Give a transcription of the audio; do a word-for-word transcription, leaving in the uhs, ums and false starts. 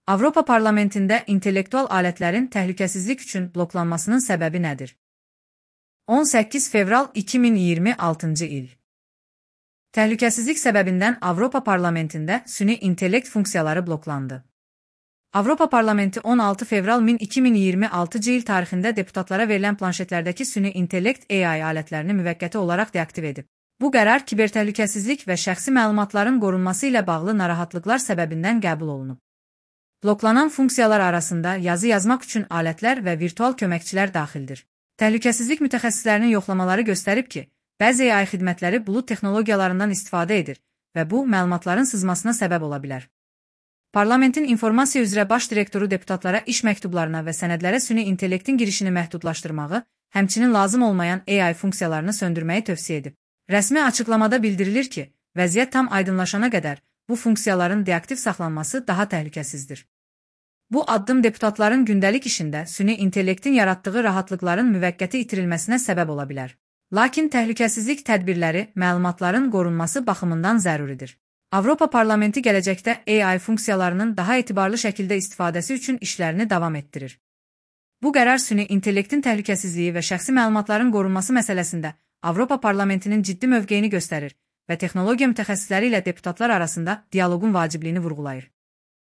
Avropa Parlamentində intellektual alətlərin təhlükəsizlik üçün bloklanmasının səbəbi nədir? on səkkiz fevral iki min iyirmi altıncı il. Təhlükəsizlik səbəbindən Avropa Parlamentində süni intellekt funksiyaları bloklandı. Avropa Parlamenti on altı fevral iki min iyirmi altıncı il tarixində deputatlara verilən planşetlərdəki süni intellekt A I alətlərini müvəqqəti olaraq deaktiv edib. Bu qərar kibertəhlükəsizlik və şəxsi məlumatların qorunması ilə bağlı narahatlıqlar səbəbindən qəbul olunub. Bloklanan funksiyalar arasında yazı yazmaq üçün alətlər və virtual köməkçilər daxildir. Təhlükəsizlik mütəxəssislərinin yoxlamaları göstərib ki, bəzi A I xidmətləri bulud texnologiyalarından istifadə edir və bu, məlumatların sızmasına səbəb ola bilər. Parlamentin informasiya üzrə baş direktoru deputatlara iş məktublarına və sənədlərə süni intellektin girişini məhdudlaşdırmağı, həmçinin lazım olmayan A I funksiyalarını söndürməyi tövsiyə edib. Rəsmi açıqlamada bildirilir ki, vəziyyət tam aydınlaşana qədər bu funksiyaların deaktiv saxlanması daha təhlükəsizdir. Bu addım deputatların gündəlik işində süni intellektin yaratdığı rahatlıqların müvəqqəti itirilməsinə səbəb ola bilər. Lakin təhlükəsizlik tədbirləri məlumatların qorunması baxımından zəruridir. Avropa Parlamenti gələcəkdə A I funksiyalarının daha etibarlı şəkildə istifadəsi üçün işlərini davam etdirir. Bu qərar süni intellektin təhlükəsizliyi və şəxsi məlumatların qorunması məsələsində Avropa Parlamentinin ciddi mövqeyini göstərir və texnologiya mütəxəssisləri ilə deputatlar arasında dialoqun vacibliyini vurğulayır.